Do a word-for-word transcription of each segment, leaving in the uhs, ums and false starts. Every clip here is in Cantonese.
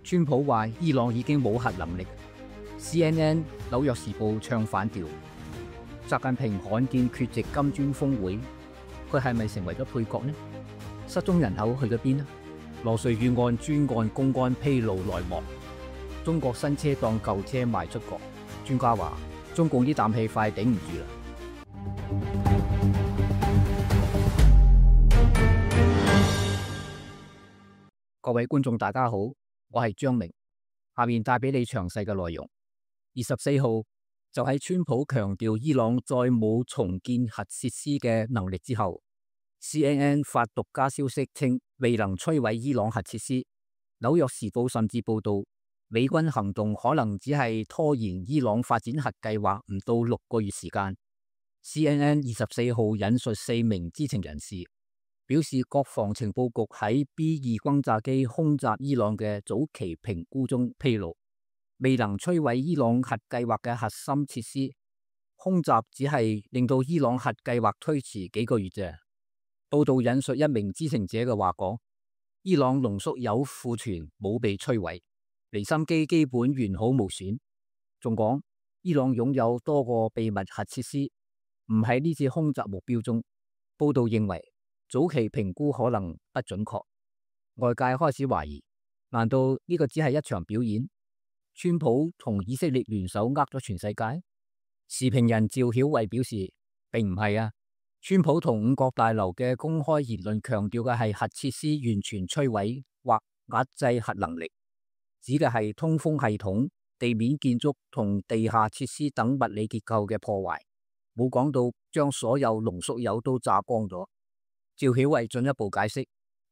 川普話伊朗已經冇核能力 ，C N N、紐約時報唱反調。習近平罕見缺席金磚峰會，佢係咪成為咗配角呢？失蹤人口去咗邊呢？羅瑞遇案專案公安披露內幕，中國新車當舊車賣出國。專家話中共呢啖氣快頂唔住啦。各位觀眾大家好，我係張明，下面帶俾你詳細嘅內容。二十四號就喺川普強調伊朗再冇重建核設施嘅能力之後， C N N 發獨家消息稱未能摧毀伊朗核設施。紐約時報甚至報道美軍行動可能只係拖延伊朗發展核計劃唔到六個月時間。C N N 二十四號引述四名知情人士表示，國防情報局喺 B 二轟炸機空襲伊朗嘅早期評估中披露，未能摧毀伊朗核計劃嘅核心設施，空襲只係令到伊朗核計劃推遲幾個月啫。報道引述一名知情者嘅話講，伊朗濃縮鈾庫存冇被摧毀，離心機基本完好無損。仲講伊朗擁有多個秘密核設施，唔喺呢次空襲目標中。報道認為早期評估可能不準確，外界開始懷疑，難道呢個只係一場表演？川普同以色列聯手呃咗全世界？時評人趙曉慧表示，並唔係啊，川普同五角大樓嘅公開言論強調嘅係核設施完全摧毀或壓制核能力，指嘅係通風系統、地面建築同地下設施等物理結構嘅破壞，冇講到將所有濃縮鈾都炸光咗。趙曉慧進一步解釋，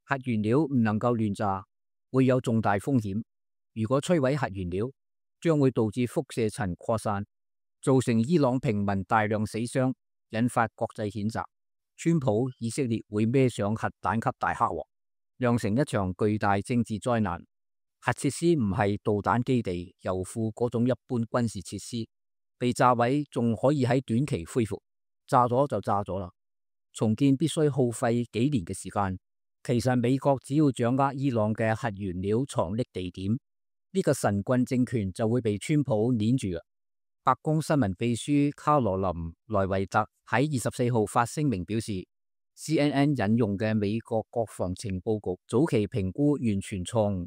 核原料唔能夠亂炸，會有重大風險。如果摧毀核原料，將會導致輻射塵擴散，造成伊朗平民大量死傷，引發國際譴責。川普、以色列會孭上核彈級大黑鑊，釀成一場巨大政治災難。核設施唔係導彈基地、油庫嗰種一般軍事設施，被炸毀仲可以喺短期恢復，炸咗就炸咗啦。重建必須耗費幾年嘅時間。其實美國只要掌握伊朗嘅核原料藏匿地點，呢個神棍政權就會被川普捏住。白宮新聞秘書卡羅琳·萊維特喺二十四號發聲明表示， C N N 引用嘅美國國防情報局早期評估完全錯誤，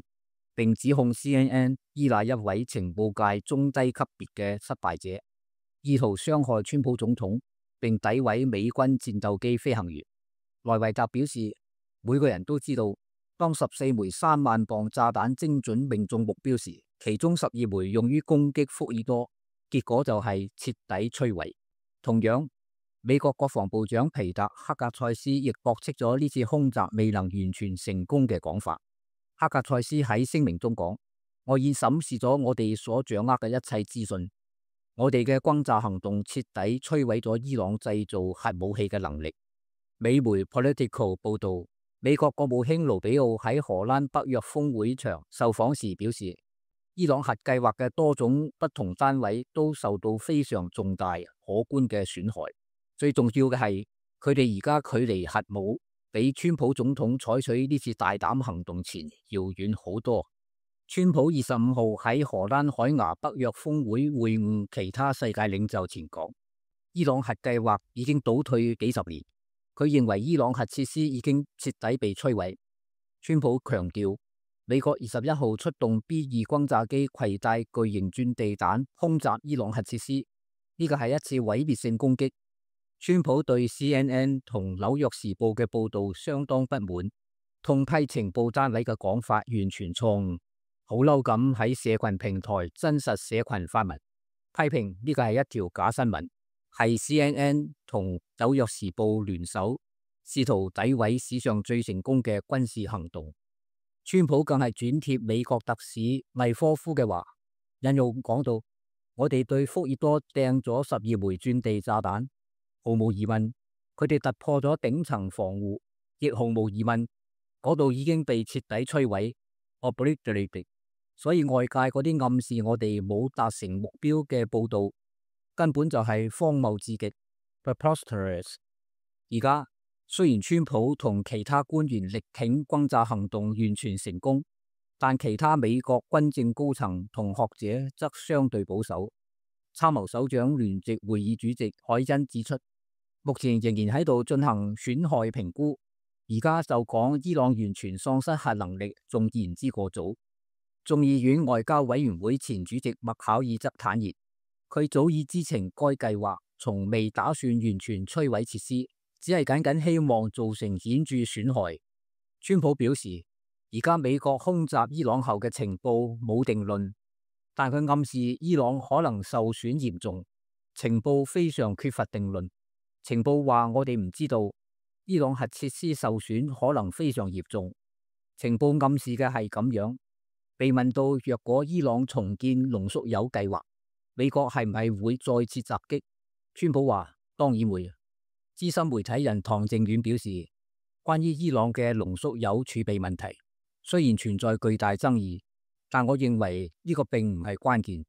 並指控 C N N 依賴一位情報界中低級別嘅失敗者，意圖傷害川普總統，並詆毀美軍戰鬥機飛行員。萊維特表示，每個人都知道，當十四枚三萬磅炸彈精準命中目標時，其中十二枚用於攻擊福爾多，結果就係徹底摧毀。同樣，美國國防部長皮特·黑格塞斯亦駁斥咗呢次空襲未能完全成功嘅講法。黑格塞斯喺聲明中講，我已審視咗我哋所掌握嘅一切資訊，我哋嘅轟炸行動徹底摧毀咗伊朗製造核武器嘅能力。美媒 Politico 報道，美國國務卿盧比奧喺荷蘭北約峰會場受訪時表示，伊朗核計劃嘅多種不同單位都受到非常重大可觀嘅損害。最重要嘅係，佢哋而家距離核武比川普總統採取呢次大膽行動前遙遠好多。川普二十五號喺荷蘭海牙北約峰會會晤其他世界領袖前講，伊朗核計劃已經倒退幾十年。佢認為伊朗核設施已經徹底被摧毀。川普強調，美國二十一號出動 B 二轟炸機攜帶巨型鑽地彈空襲伊朗核設施，呢個係一次毀滅性攻擊。川普對 C N N 同紐約時報嘅報道相當不滿，痛批情報單位嘅講法完全錯誤，好嬲咁喺社群平台真實社群發文，批評呢個係一條假新聞，係 C N N 同紐約時報聯手，試圖詆毀史上最成功嘅軍事行動。川普更係轉貼美國特使米科夫嘅話，引用講到，我哋對福爾多掟咗十二枚鑽地炸彈，毫無疑問，佢哋突破咗頂層防護，亦毫無疑問，嗰度已經被徹底摧毀 obliterated。所以外界嗰啲暗示我哋冇達成目標嘅報道，根本就係荒謬至極 preposterous。而家雖然川普同其他官員力挺轟炸行動完全成功，但其他美國軍政高層同學者則相對保守。參謀首長聯席會議主席海恩指出，目前仍然喺度進行損害評估，而家就講伊朗完全喪失核能力仲言之過早。眾議院外交委員會前主席麥考爾則坦言，佢早已知情該計劃從未打算完全摧毀設施，只係僅僅希望造成顯著損害。川普表示，而家美國空襲伊朗後嘅情報冇定論，但佢暗示伊朗可能受損嚴重。情報非常缺乏定論。情報話我哋唔知道伊朗核設施受損可能非常嚴重。情報暗示嘅係咁樣。被問到若果伊朗重建濃縮鈾計劃，美國係唔係會再次襲擊？川普話當然會。資深媒體人唐正遠表示，關於伊朗嘅濃縮鈾儲備問題，雖然存在巨大爭議，但我認為呢個並唔係關鍵。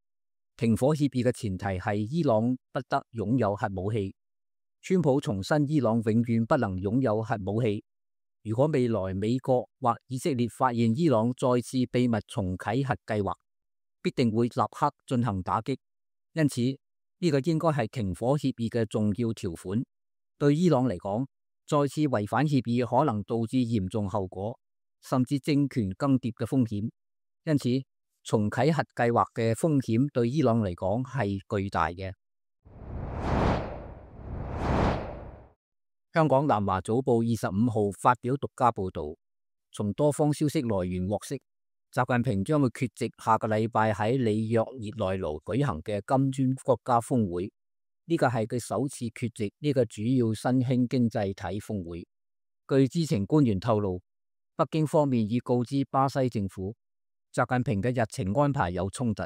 停火協議嘅前提係伊朗不得擁有核武器。川普重申伊朗永遠不能擁有核武器。如果未來美國或以色列發現伊朗再次秘密重啟核計劃，必定會立刻進行打擊。因此，呢個應該係停火協議嘅重要條款。對伊朗嚟講，再次違反協議可能導致嚴重後果，甚至政權更迭嘅風險。因此，重啟核計劃嘅風險對伊朗嚟講係巨大嘅。香港南華早報二十五號發表獨家報導，從多方消息來源獲悉，習近平將會缺席下個禮拜喺里約熱內盧舉行嘅金磚國家峰會。呢個係佢首次缺席呢個主要新興經濟體峰會。據知情官員透露，北京方面已告知巴西政府，習近平嘅日程安排有衝突，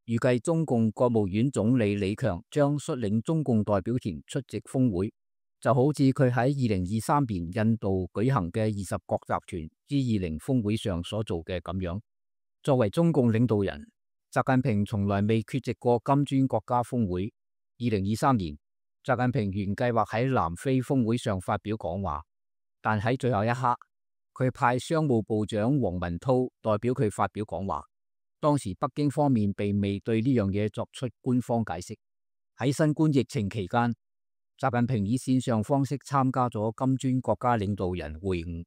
預計中共國務院總理李強將率領中共代表團出席峰會。就好似佢喺二零二三年印度舉行嘅二十國集團 G 二十 峰會上所做嘅咁樣。作為中共領導人，習近平從來未缺席過金磚國家峰會。二零二三年，習近平原計劃喺南非峰會上發表講話，但喺最後一刻，佢派商務部長王文濤代表佢發表講話。當時北京方面並未對呢樣嘢作出官方解釋。喺新冠疫情期間，習近平以線上方式參加咗金磚國家領導人會晤。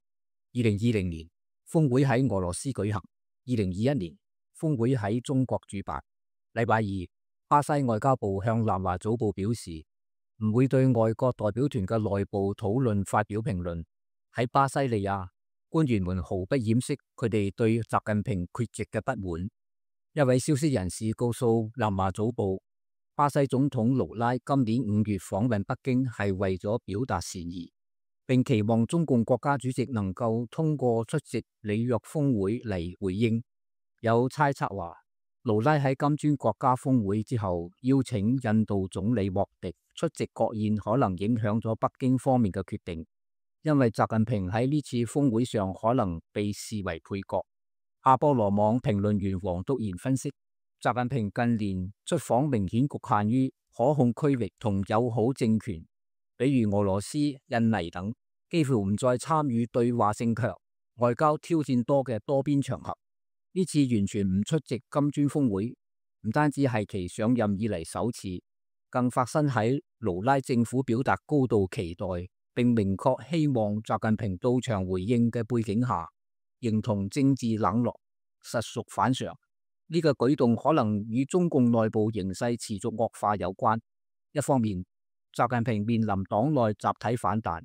二零二零年，峰會喺俄羅斯舉行；二零二一年，峰會喺中國主辦。禮拜二，巴西外交部向南華早報表示，唔會對外國代表團嘅內部討論發表評論。喺巴西利亞，官員們毫不掩飾佢哋對習近平缺席嘅不滿。一位消息人士告訴南華早報，巴西總統盧拉今年五月訪問北京係為咗表達善意，並期望中共國家主席能夠通過出席里約峰會嚟回應。有猜測話，盧拉喺金磚國家峰會之後邀請印度總理莫迪出席國宴，可能影響咗北京方面嘅決定，因為習近平喺呢次峰會上可能被視為配角。阿波羅網評論員黃篤賢分析，習近平近年出訪明顯局限於可控區域同友好政權，比如俄羅斯、印尼等，幾乎唔再參與對話性強、外交挑戰多嘅多邊場合。呢次完全唔出席金磚峰會，唔單止係其上任以嚟首次，更發生喺盧拉政府表達高度期待並明確希望習近平到場回應嘅背景下，認同政治冷落實屬反常。呢個舉動可能與中共內部形勢持續惡化有關。一方面，習近平面臨黨內集體反彈，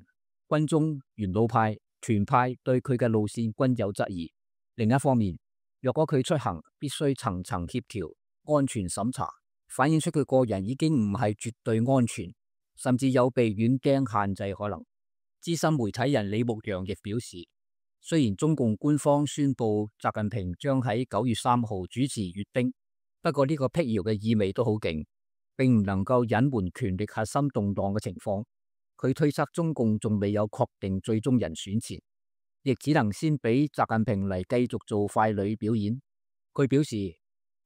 軍中、元老派、團派對佢嘅路線均有質疑。另一方面，若果佢出行必須層層協調、安全審查，反映出佢個人已經唔係絕對安全，甚至有被軟釘限制可能。資深媒體人李牧陽亦表示，雖然中共官方宣布習近平將喺九月三號主持閱兵，不過呢個辟謠嘅意味都好勁，並唔能夠隱瞞權力核心動盪嘅情況。佢推測中共仲未有確定最終人選前，亦只能先俾習近平嚟繼續做傀儡表演。佢表示，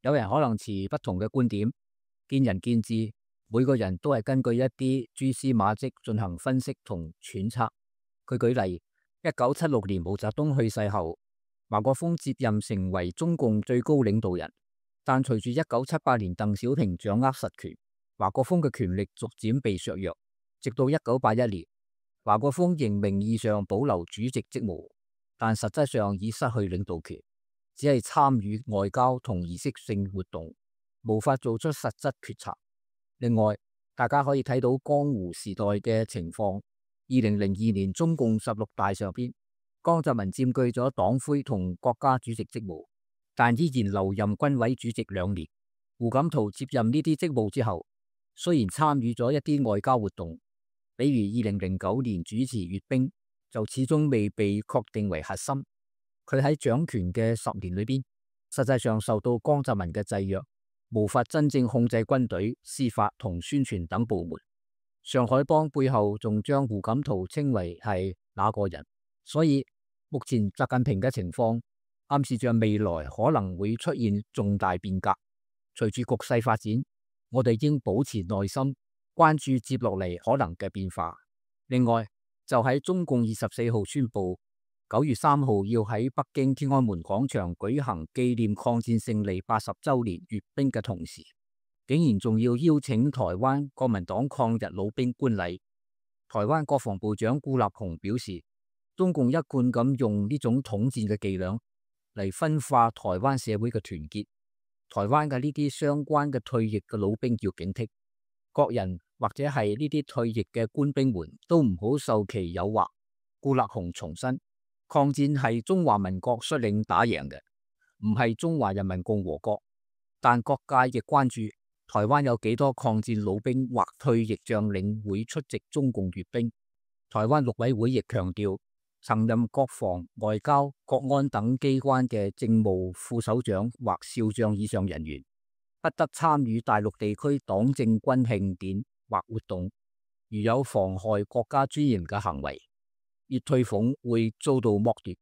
有人可能持不同嘅觀點，見仁見智，每個人都係根據一啲蛛絲馬跡進行分析同揣測。佢舉例，一九七六年毛澤東去世後，華國鋒接任成為中共最高領導人，但隨住一九七八年鄧小平掌握實權，華國鋒嘅權力逐漸被削弱。直到一九八一年，華國鋒仍名義上保留主席職務，但實質上已失去領導權，只係參與外交同儀式性活動，無法做出實質決策。另外，大家可以睇到江湖時代嘅情況。二零零二年中共十六大上邊，江澤民佔據咗黨魁同國家主席職務，但依然留任軍委主席兩年。胡錦濤接任呢啲職務之後，雖然參與咗一啲外交活動，比如二零零九年主持閱兵，就始終未被確定為核心。佢喺掌權嘅十年裏邊，實際上受到江澤民嘅制約，無法真正控制軍隊、司法同宣傳等部門。上海幫背後仲將胡錦濤稱為係那個人，所以目前習近平嘅情況暗示着未來可能會出現重大變革。隨住局勢發展，我哋應保持耐心，關注接落嚟可能嘅變化。另外，就喺中共二十四號宣布九月三號要喺北京天安門廣場舉行紀念抗戰勝利八十週年閱兵嘅同時，竟然仲要邀請台灣國民黨抗日老兵觀禮。台灣國防部長顧立雄表示，中共一貫咁用呢種統戰嘅伎倆嚟分化台灣社會嘅團結。台灣嘅呢啲相關嘅退役嘅老兵要警惕，國人或者係呢啲退役嘅官兵們都唔好受其誘惑。顧立雄重申，抗戰係中華民國率領打贏嘅，唔係中華人民共和國。但各界亦關注台灣有幾多抗戰老兵或退役將領會出席中共閱兵。台灣陸委會亦強調，曾任國防、外交、國安等機關嘅政務副首長或少將以上人員，不得參與大陸地區黨政軍慶典或活動。如有妨害國家尊嚴嘅行為，月退俸會遭到剝奪，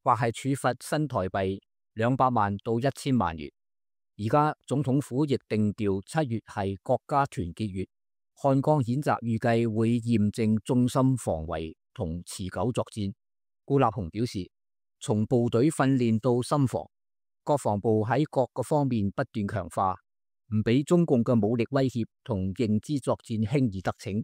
或係處罰新台幣兩百萬到一千萬元。而家總統府亦定調七月係國家團結月，漢江演習預計會驗證中心防衛同持久作戰。顧立雄表示，從部隊訓練到心防，國防部喺各個方面不斷強化，唔俾中共嘅武力威脅同認知作戰輕易得逞。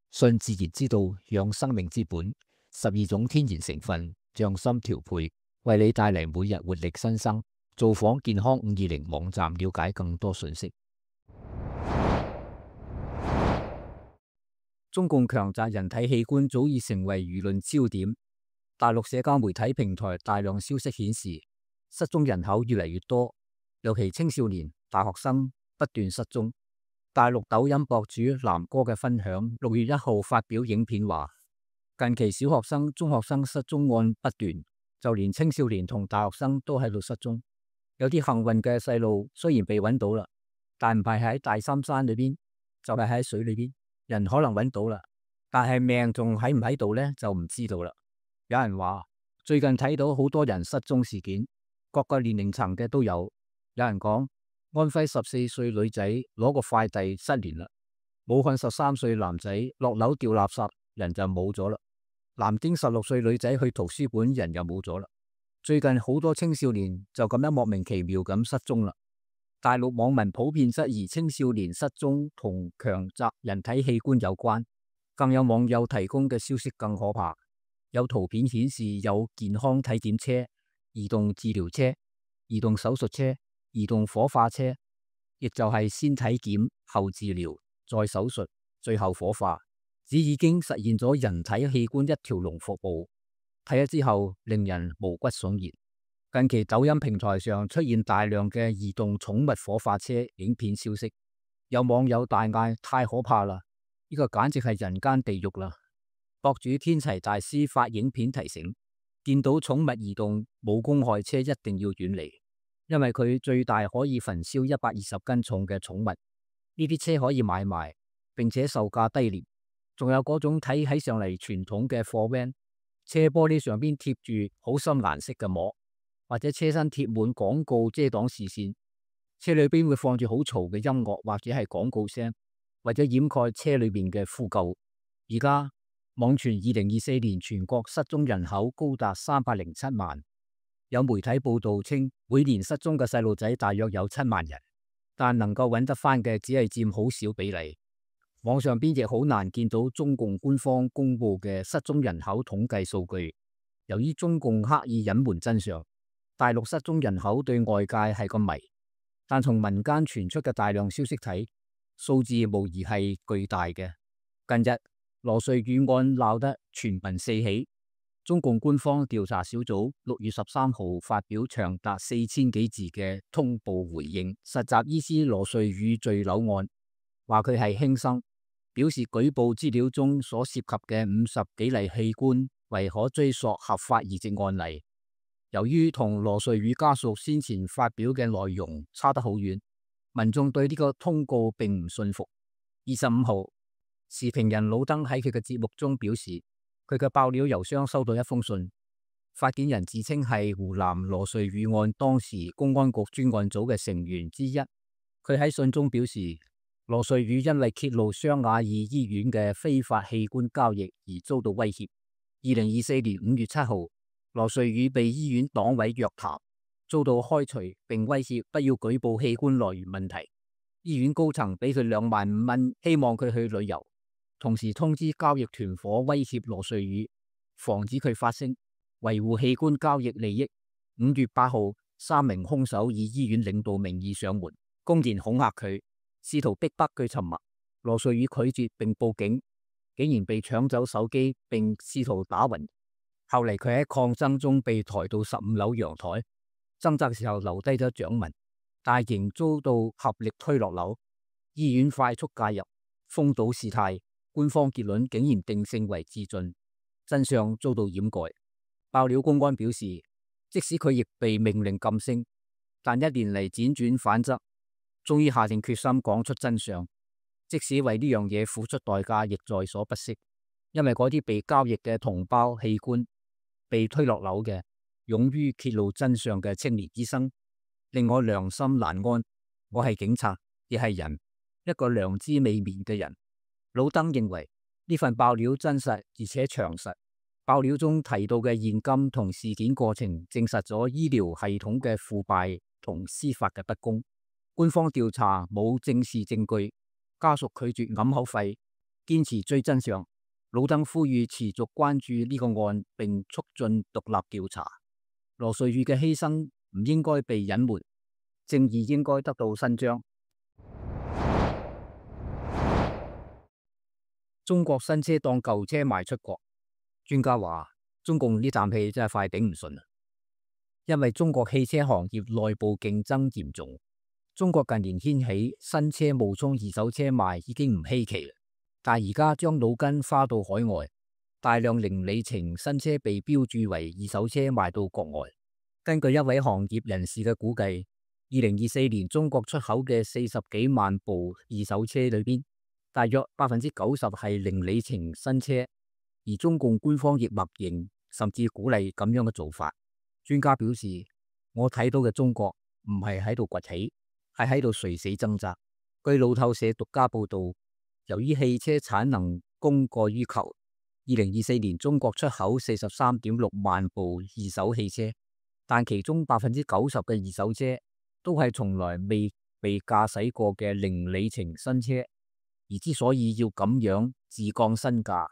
信自然之道，養生命之本，十二種天然成分，匠心調配，為你帶嚟每日活力新生。造訪健康五二零網站了解更多信息。中共強摘人體器官早已成為輿論焦點。大陸社交媒體平台大量消息顯示，失蹤人口越嚟越多，尤其青少年、大學生不斷失蹤。大陸抖音博主南哥嘅分享，六月一號發表影片話，近期小學生、中學生失蹤案不斷，就連青少年同大學生都喺度失蹤。有啲幸運嘅細路雖然被揾到啦，但唔係喺大三山裏邊，就係喺水裏邊。人可能揾到啦，但係命仲喺唔喺度呢，就唔知道啦。有人話最近睇到好多人失蹤事件，各個年齡層嘅都有。有人講安徽十四歲女仔攞個快遞失聯啦，武漢十三歲男仔落樓掉垃圾，人就冇咗啦。南京十六歲女仔去圖書館，人又冇咗啦。最近好多青少年就咁樣莫名其妙咁失蹤啦。大陸網民普遍質疑青少年失蹤同強摘人體器官有關，更有網友提供嘅消息更可怕。有圖片顯示有健康體檢車、移動治療車、移動手術車、移動火化車，亦就係先體檢後治療再手術最後火化，只已經實現咗人體器官一條龍服務。睇咗之後令人毛骨悚然。近期抖音平台上出現大量嘅移動寵物火化車影片消息，有網友大嗌太可怕啦，呢個簡直係人間地獄啦。博主天齊大師發影片提醒，見到寵物移動冇公害車一定要遠離，因為佢最大可以焚燒一百二十斤重嘅寵物。呢啲車可以買賣，並且售價低廉。仲有嗰種睇起上嚟傳統嘅貨 van， 車玻璃上邊貼住好深顏色嘅膜，或者車身貼滿廣告遮擋視線，車裏邊會放住好嘈嘅音樂或者係廣告聲，或者掩蓋車裏邊嘅呼救。而家網傳二零二四年全國失蹤人口高達三百零七萬，有媒體報道稱，每年失蹤嘅細路仔大約有七萬人，但能夠揾得返嘅只係佔好少比例。網上邊亦好難見到中共官方公布嘅失蹤人口統計數據。由於中共刻意隱瞞真相，大陸失蹤人口對外界係個謎。但從民間傳出嘅大量消息睇，數字無疑係巨大嘅。近日羅瑞宇案鬧得全民四起，中共官方調查小組六月十三號發表長達四千幾字嘅通報回應實習醫師羅瑞宇墜樓案，話佢係輕生，表示舉報資料中所涉及嘅五十幾例器官為可追溯合法移植案例。由於同羅瑞宇家屬先前發表嘅內容差得好遠，民眾對呢個通告並唔信服。二十五號，時評人老登喺佢嘅節目中表示，佢嘅爆料郵箱收到一封信，發件人自稱係湖南羅瑞宇案當時公安局專案組嘅成員之一。佢喺信中表示，羅瑞宇因為揭露湘雅爾醫院嘅非法器官交易而遭到威脅。二零二四年五月七號，羅瑞宇被醫院黨委約談，遭到開除並威脅不要舉報器官來源問題。醫院高層俾佢兩萬五蚊，希望佢去旅遊，同時通知交易團伙威脅羅瑞宇，防止佢發聲，維護器官交易利益。五月八號，三名兇手以醫院領導名義上門，公然恐嚇佢，試圖逼迫佢沉默。羅瑞宇拒絕並報警，竟然被搶走手機並試圖打暈。後嚟佢喺抗爭中被抬到十五樓陽台，掙扎時候留低咗掌紋，但仍遭到合力推落樓。醫院快速介入，封堵事態，官方結論竟然定性為自盡，真相遭到掩蓋。爆料公安表示，即使佢亦被命令噤聲，但一年嚟輾轉反側，終於下定決心講出真相，即使為呢樣嘢付出代價，亦在所不惜。因為嗰啲被交易嘅同胞器官，被推落樓嘅勇於揭露真相嘅青年醫生，令我良心難安。我係警察，亦係人，一個良知未泯嘅人。老登認為呢份爆料真實而且詳實，爆料中提到嘅現金同事件過程，證實咗醫療系統嘅腐敗同司法嘅不公。官方調查冇正視證據，家屬拒絕揞口費，堅持追真相。老登呼籲持續關注呢個案，並促進獨立調查。羅瑞宇嘅犧牲唔應該被隱瞞，正義應該得到伸張。中國新車當舊車賣出國，專家話中共呢啖氣真係快頂唔順啦。因為中國汽車行業內部競爭嚴重，中國近年掀起新車冒充二手車賣已經唔稀奇啦。但而家將腦筋花到海外，大量零里程新車被標注為二手車賣到國外。根據一位行業人士嘅估計，二零二四年中國出口嘅四十幾萬部二手車裏邊，大約百分之九十係零里程新車，而中共官方亦默認甚至鼓勵咁樣嘅做法。專家表示，我睇到嘅中國唔係喺度崛起，係喺度垂死掙扎。據路透社獨家報道，由於汽車產能供過於求，二零二四年中國出口四十三點六萬部二手汽車，但其中百分之九十嘅二手車都係從來未被駕駛過嘅零里程新車。而之所以要咁樣自降身價，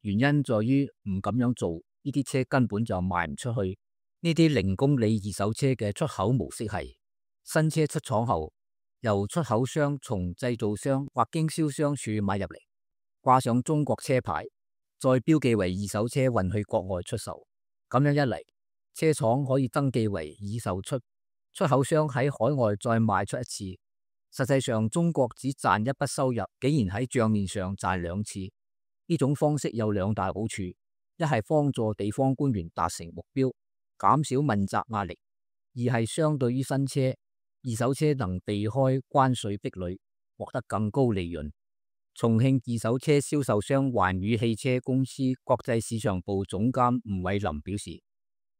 原因在於唔咁樣做，呢啲車根本就賣唔出去。呢啲零公里二手車嘅出口模式係新車出廠後，由出口商從製造商或經銷商處買入嚟，掛上中國車牌，再標記為二手車運去國外出售。咁樣一嚟，車廠可以登記為已售出，出口商喺海外再賣出一次。實際上，中國只賺一筆收入，竟然喺賬面上賺兩次。呢種方式有兩大好處：一係幫助地方官員達成目標，減少問責壓力；二係相對於新車，二手車能避開關稅壁壘，獲得更高利潤。重慶二手車銷售商環宇汽車公司國際市場部總監吳偉林表示，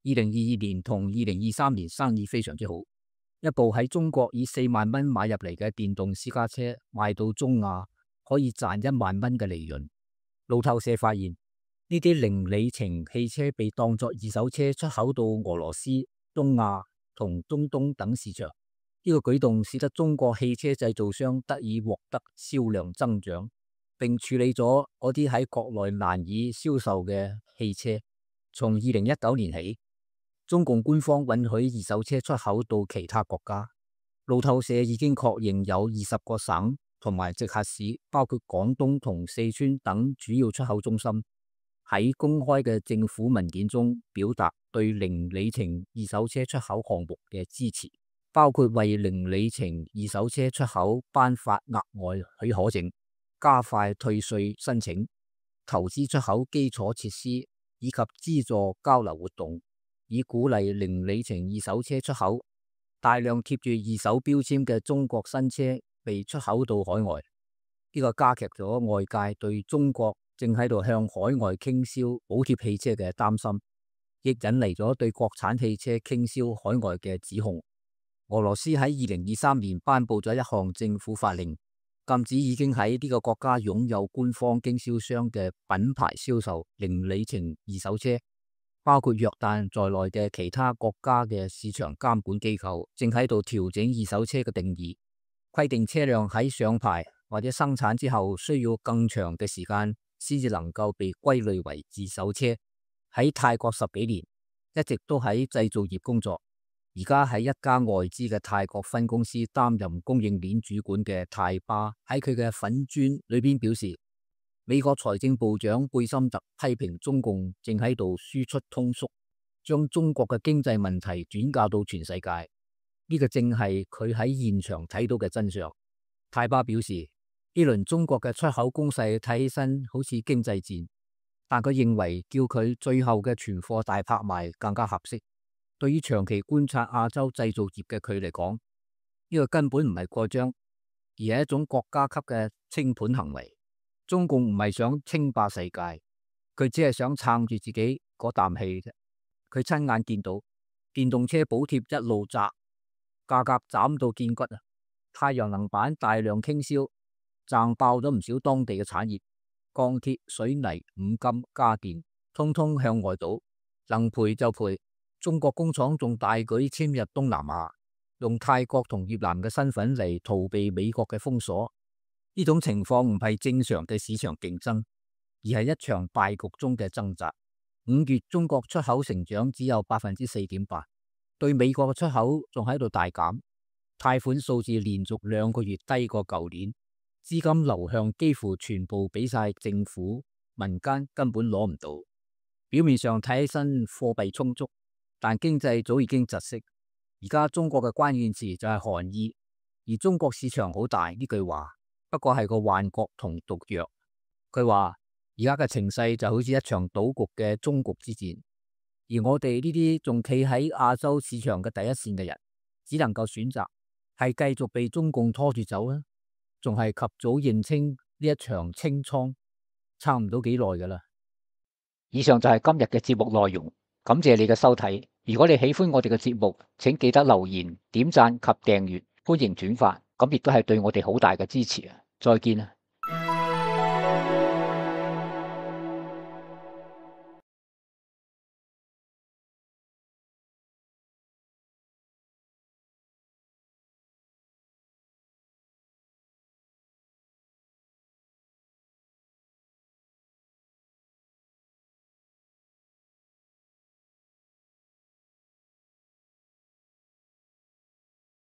二零二二年同二零二三年生意非常之好。一部喺中國以四萬蚊買入嚟嘅電動私家車賣到中亞，可以賺一萬蚊嘅利潤。路透社發現，呢啲零里程汽車被當作二手車出口到俄羅斯、東亞同中東等市場。呢個舉動使得中國汽車製造商得以獲得銷量增長，並處理咗嗰啲喺國內難以銷售嘅汽車。從二零一九年起，中共官方允許二手車出口到其他國家。路透社已經確認有二十個省同埋直轄市，包括廣東同四川等主要出口中心，喺公開嘅政府文件中表達對零里程二手車出口項目嘅支持，包括為零里程二手車出口頒發額外許可證、加快退稅申請、投資出口基礎設施以及資助交流活動，以鼓勵零里程二手車出口。大量貼住二手標籤嘅中國新車被出口到海外，呢個加劇咗外界對中國正喺度向海外傾銷補貼汽車嘅擔心，亦引嚟咗對國產汽車傾銷海外嘅指控。俄羅斯喺二零二三年頒布咗一項政府法令，禁止已經喺呢個國家擁有官方經銷商嘅品牌銷售零里程二手車。包括約旦在內嘅其他國家嘅市場監管機構正喺度調整二手車嘅定義，規定車輛喺上牌或者生產之後需要更長嘅時間先至能夠被歸類為二手車。喺泰國十幾年一直都喺製造業工作，而家喺一家外資嘅泰國分公司擔任供應鏈主管嘅泰巴喺佢嘅粉專裏邊表示，美國財政部長貝森特批評中共正喺度輸出通縮，將中國嘅經濟問題轉嫁到全世界。呢個正係佢喺現場睇到嘅真相。泰巴表示，呢輪中國嘅出口攻勢睇起身好似經濟戰，但佢認為叫佢最後嘅存貨大拍賣更加合適。對於長期觀察亞洲製造業嘅佢嚟講，呢個根本唔係過張，而係一種國家級嘅清盤行為。中共唔係想稱霸世界，佢只係想撐住自己嗰啖氣啫。佢親眼見到電動車補貼一路砸，價格斬到見骨啊！太陽能板大量傾銷，賺爆咗唔少當地嘅產業，鋼鐵、水泥、五金、家電，通通向外倒，能賠就賠。中國工廠仲大舉遷入東南亞，用泰國同越南嘅身份嚟逃避美國嘅封鎖。呢種情況唔係正常嘅市場競爭，而係一場敗局中嘅掙扎。五月中國出口成長只有百分之四點八，對美國嘅出口仲喺度大減，貸款數字連續兩個月低過舊年，資金流向幾乎全部俾晒政府，民間根本攞唔到。表面上睇起身貨幣充足，但經濟早已經窒息。而家中國嘅關鍵詞就係寒意，而中國市場好大呢句話不過係個幻覺同毒藥。佢話而家嘅情勢就好似一場賭局嘅終局之戰，而我哋呢啲仲企喺亞洲市場嘅第一線嘅人，只能夠選擇係繼續被中共拖住走啦，仲係及早認清呢一場清倉，差唔到幾耐噶啦。以上就係今日嘅節目內容，感謝你嘅收睇。如果你喜歡我哋嘅節目，請記得留言、點讚及訂閱，歡迎轉發，咁亦都係對我哋好大嘅支持啊！再見啊！